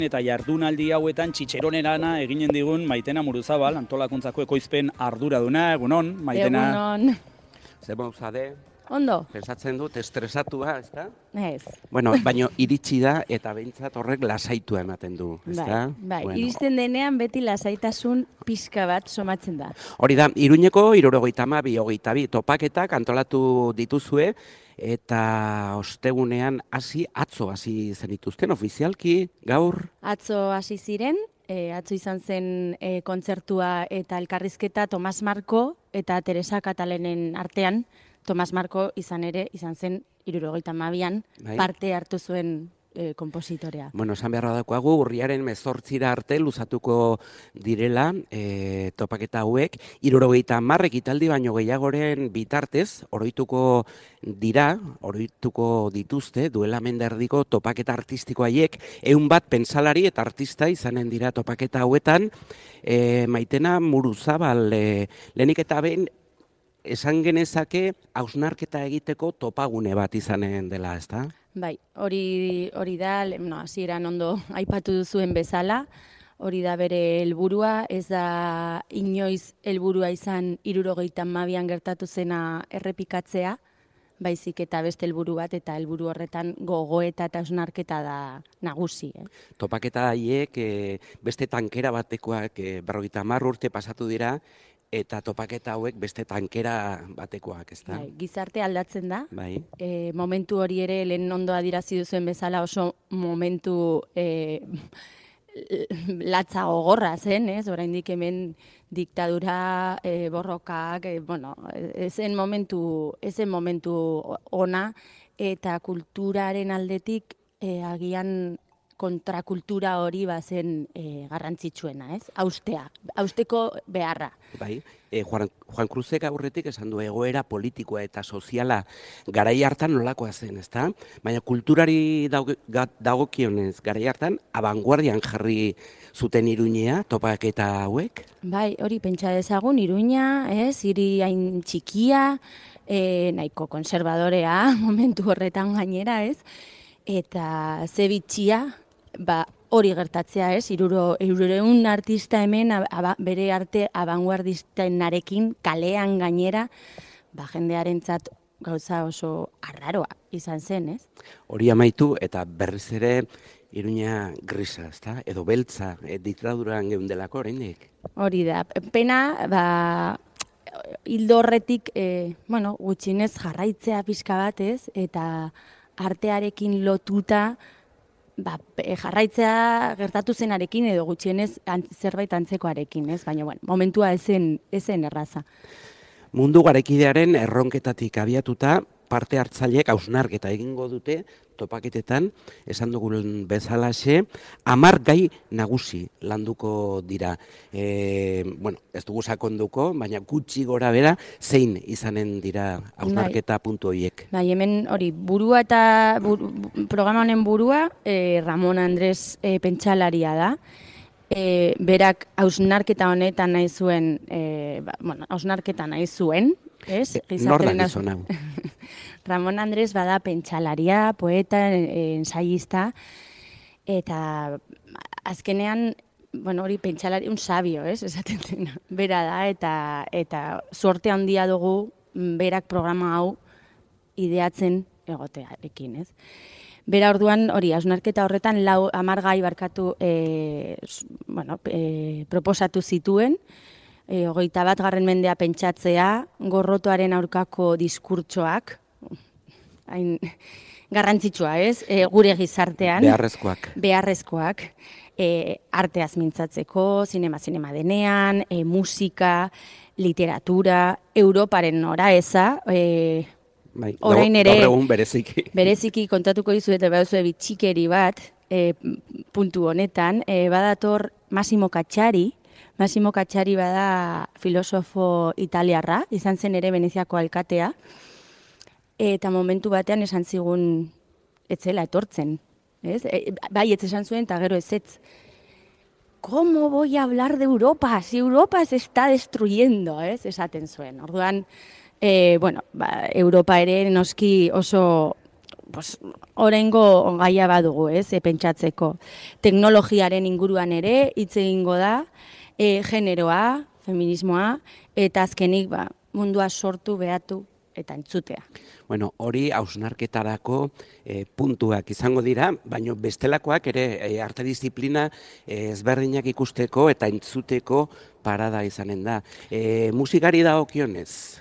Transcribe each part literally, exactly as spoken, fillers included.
Eta jardunaldi hauetan txitxeronerana eginen digun Maitena Muruzabal, antolakuntzako ekoizpen arduraduna, egunon, Maitena. Egunon. Zer mauzade? Ondo. Pensatzen dut, estresatua, ez da? Ez. Bueno, baino iritsi da eta behintzat horrek lasaitua ematen du, ez da? Bai, bai. Bueno. Iristen denean beti lasaitasun pixka bat somatzen da. Hori da, Iruñeko hirurogeita hamabi, hogeita bi topaketak antolatu dituzue, eta ostegunean hasi atzo hasi zenituzten ofizialki gaur. Atzo hasi ziren, e, atzo izan zen e, kontzertua eta elkarrizketa Tomas Marko eta Teresa Katalenen artean. Tomas Marko izan ere, izan zen hirurogeita hamabian Bai. parte hartu zuen e, konpositorea. Bueno, esan beharra daukagu, urriaren mezortzira arte luzatuko direla e, topaketa hauek, hirurogeita hamar ekitaldi baino gehiagoren bitartez, oroituko dira, oroituko dituzte, duela menderdiko topaketa artistiko haiek, ehun bat pentsalari eta artista izanen dira topaketa hauetan, e, Maitena Muruzabal, e, lehenik eta behin, esan genezake hausnarketa egiteko topagune bat izanen dela, ezta? Bai, hori hori da, no, hasieran ondo aipatu duzuen bezala, hori da bere helburua, ez da inoiz helburua izan hirurogeita hamabian gertatu zena errepikatzea, baizik eta beste helburu bat, eta helburu horretan gogoeta eta hausnarketa da nagusi. Eh? Topaketa haiek e, beste tankera batekoak e, berrogeita hamar urte pasatu dira, eta topaketa hauek beste tankera batekoak, ez da? Bai, gizarte aldatzen da. Bai. E, momentu hori ere lehen ondo adirazi duzuen bezala oso momentu e, latza gogorra zen, ez? Oraindik hemen diktadura, e, borrokak, e, bueno, ezen momentu, ezen momentu ona eta kulturaren aldetik e, agian kontrakultura hori bazen e, garrantzitsuena, ez? Haustea, hausteko beharra. Bai, e, Juan, Juan Cruzek aurretik esan du egoera politikoa eta soziala garai hartan nolakoa zen, ezta? Baina kulturari dagokionez garai hartan abanguardian jarri zuten Iruñea topaketa hauek? Bai, hori pentsa dezagun Iruña, ez? Hiri hain txikia, e, nahiko konservadorea momentu horretan gainera, ez? Eta ze bitxia, ba, hori gertatzea, ez? Hirureun artista hemen aba, bere arte abanguardistenarekin kalean gainera, ba, jendearentzat gauza oso arraroa izan zen, ez? Hori amaitu eta berriz ere Iruña grisa, ezta? Edo beltza, e, diktaduran geundelako oraindik. Hori da. Pena, ba, hildo horretik, e, bueno, gutxinez jarraitzea pixka bat, ez? Eta artearekin lotuta, ba, jarraitzea gertatu zenarekin edo gutxienez zerbait antzekoarekin, ez? Baina, bueno, momentua ezen, ezen erraza. Mundu garekidearen erronketatik abiatuta, parte hartzaileek hausnarketa egingo dute topaketetan, esan dugun bezalaxe, hamar gai nagusi landuko dira. E, bueno, ez dugu sakonduko, baina gutxi gora bera, zein izanen dira hausnarketa bai. Puntu horiek. Bai, hemen hori, burua eta buru, programa honen burua, eh, Ramon Andres eh, pentsalaria da. E, berak hausnarketa honetan nahi zuen, e, ba, bueno, hausnarketa nahi zuen, ez? Nor da gizon hau? Ramon Andres bada pentsalaria, poeta, ensaista, eta azkenean, bueno, hori pentsalari, un sabio, ez? Esaten dena, bera da, eta, eta sorte handia dugu berak programa hau ideatzen egotearekin, ez? Bera orduan, hori, hausnarketa horretan, lau hamar gai barkatu e, bueno, e, proposatu zituen, e, hogeita bat garren mendea pentsatzea, gorrotoaren aurkako diskurtsoak, hain garrantzitsua, ez? E, gure gizartean. Beharrezkoak. Beharrezkoak. E, arteaz mintzatzeko, zinema-zinema denean, e, musika, literatura, Europaren noraeza, e, Bai, orain ere, gaur egun bereziki. Bereziki kontatuko dizu eta baduzue bitxikeri bat, e, puntu honetan, e, badator Massimo Cacciari, Massimo Cacciari bada filosofo italiarra, izan zen ere Veneziako alkatea, eta momentu batean esan zigun etzela etortzen, ez? E, bai, ez esan zuen eta gero ezetz. ¿Cómo voy a hablar de Europa? Si Europa se está destruyendo, ez? Esaten zuen. Orduan, E, bueno, ba, Europa ere noski oso pues, oraingo gaia badugu, ez, e, pentsatzeko. Teknologiaren inguruan ere hitz egingo da, e, generoa, feminismoa, eta azkenik ba, mundua sortu, behatu eta entzutea. Bueno, hori hausnarketarako e, puntuak izango dira, baina bestelakoak ere e, arte disiplina e, ezberdinak ikusteko eta entzuteko parada izanen da. E, musikari dagokionez?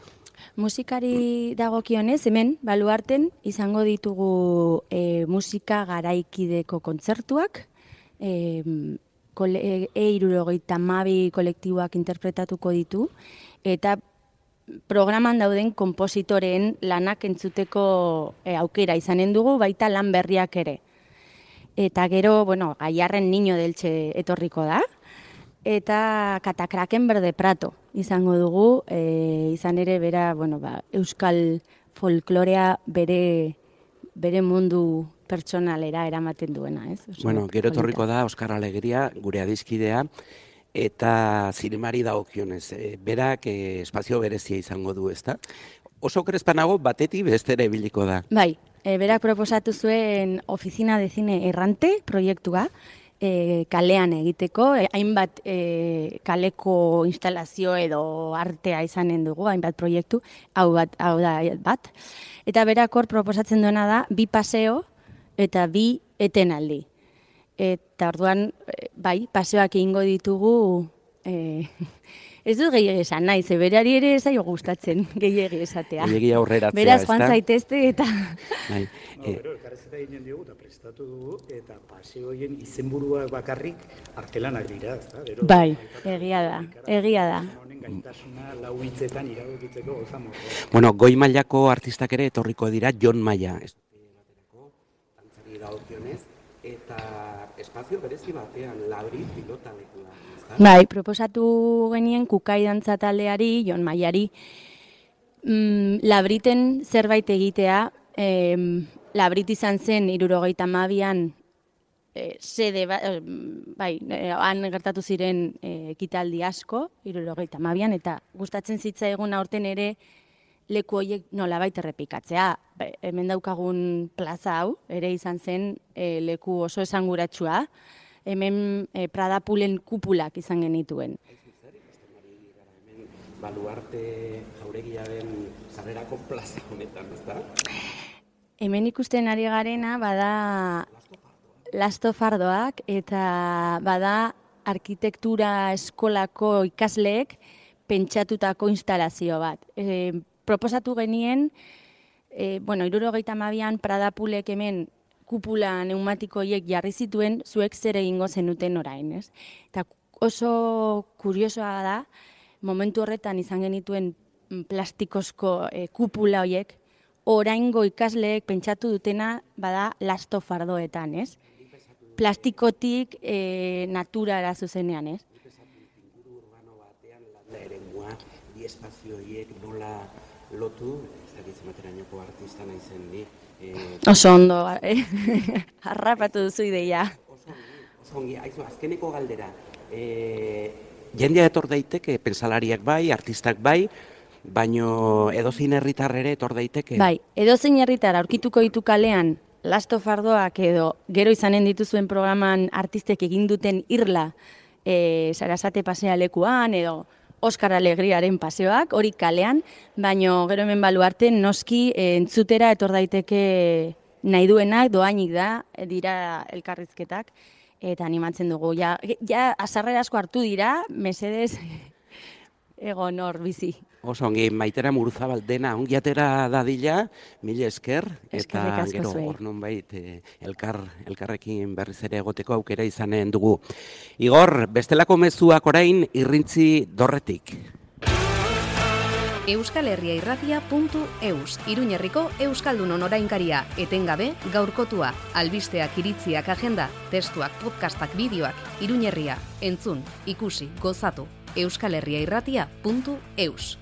Musikari dagokionez, hemen, Baluarten, izango ditugu e, musika garaikideko kontzertuak, e, E hirurogeita hamabi kolektiboak interpretatuko ditu, eta programan dauden konpositoreen lanak entzuteko e, aukera izanen dugu, baita lan berriak ere. Eta gero, bueno, Gaiarren Niño deltxe etorriko da, eta Katakraken Berde Prato izango dugu, e, izan ere bera, bueno, ba, euskal folklorea bere, bere mundu pertsonalera eramaten duena, ez? Oso, bueno, gero etorriko polita. da Oskar Alegria, gure adizkidea, eta zinemari dagokionez, e, berak e, espazio berezia izango du, ezta? Oso krespanago batetik bestera ibiliko da. Bai, e, berak proposatu zuen Oficina de Cine Errante proiektua, e, kalean egiteko, e, hainbat e, kaleko instalazio edo artea izanen dugu, hainbat proiektu, hau bat, hau da bat. Eta berak hor proposatzen duena da, bi paseo eta bi etenaldi. Eta orduan, bai, paseoak egingo ditugu, e, ez dut gehiagia esan nahi, ze berari ere zaio gustatzen gehiagia esatea. Gehiagia aurreratzea, beraz, joan zaitezte eta... Bai. No, pero elkarrezeta eginen diogu eta prestatu dugu, eta paseoien izenburuak bakarrik artelanak dira, ezta? Bero, bai, egia da, egia da. Honen gaitasuna lau hitzetan iradokitzeko gozamo. Bueno, goi mailako artistak ere etorriko dira, Jon Maia. Dantzari dagokionez, eta espazio berezi batean, labri pilota lekua. Bai, proposatu genien Kukai dantza taldeari, Jon Maiari, mm, labriten zerbait egitea, eh, labrit izan zen hirurogeita hamabian eh, sede, ba, eh, bai, eh, han gertatu ziren eh, ekitaldi asko, hirurogeita hamabian, eta gustatzen zitzaigun aurten ere leku horiek nolabait errepikatzea. Be, hemen daukagun plaza hau, ere izan zen eh, leku oso esanguratsua, hemen eh, Prada Pulen kupulak izan genituen. Baluarte jauregiaren sarrerako plaza honetan, ezta? Hemen ikusten ari garena bada lastofardoak eta bada arkitektura eskolako ikasleek pentsatutako instalazio bat. E, proposatu genien, e, bueno, hirurogeita hamabian Prada Pulek hemen kupula neumatikoiek jarri zituen, zuek zer egingo zenuten orain, ez? Eta oso kuriosoa da, momentu horretan izan genituen plastikozko e, kupula horiek, oraingo ikasleek pentsatu dutena bada lastofardoetan, ez? Plastikotik e, naturara zuzenean, ez? Inguru urbano batean landa eremua, bi espazio horiek nola lotu, ez da gizmaterainoko artista naizen ni. E, oso ondo, eh? Harrapatu duzu ideia. Oso ongi, oso ongi, aizu, azkeneko galdera. E, jendea etor daiteke, pentsalariak bai, artistak bai, baino edozein herritar ere etor daiteke. Bai, edozein herritar aurkituko ditu kalean lastofardoak edo gero izanen dituzuen programan artistek egin duten irla e, Sarasate pasea lekuan edo Oskar Alegriaren paseoak, hori kalean, baino gero hemen Baluarte noski e, entzutera etor daiteke nahi duenak, doainik da, dira elkarrizketak, eta animatzen dugu. Ja, ja azarrera asko hartu dira, mesedez egon hor bizi. Oso ongi, Maitera Muruzabal dena ongi atera dadila, mila esker, eta gero hor nonbait eh, elkar, elkarrekin berriz ere egoteko aukera izanen dugu. Igor, bestelako mezuak orain irrintzi dorretik. euskal herria irratia puntu eus, Iruñerriko Euskaldunon orainkaria, etengabe gaurkotua, albisteak, iritziak, agenda, testuak, podcastak, bideoak, Iruñerria, entzun, ikusi, gozatu, euskal herria irratia puntu eus.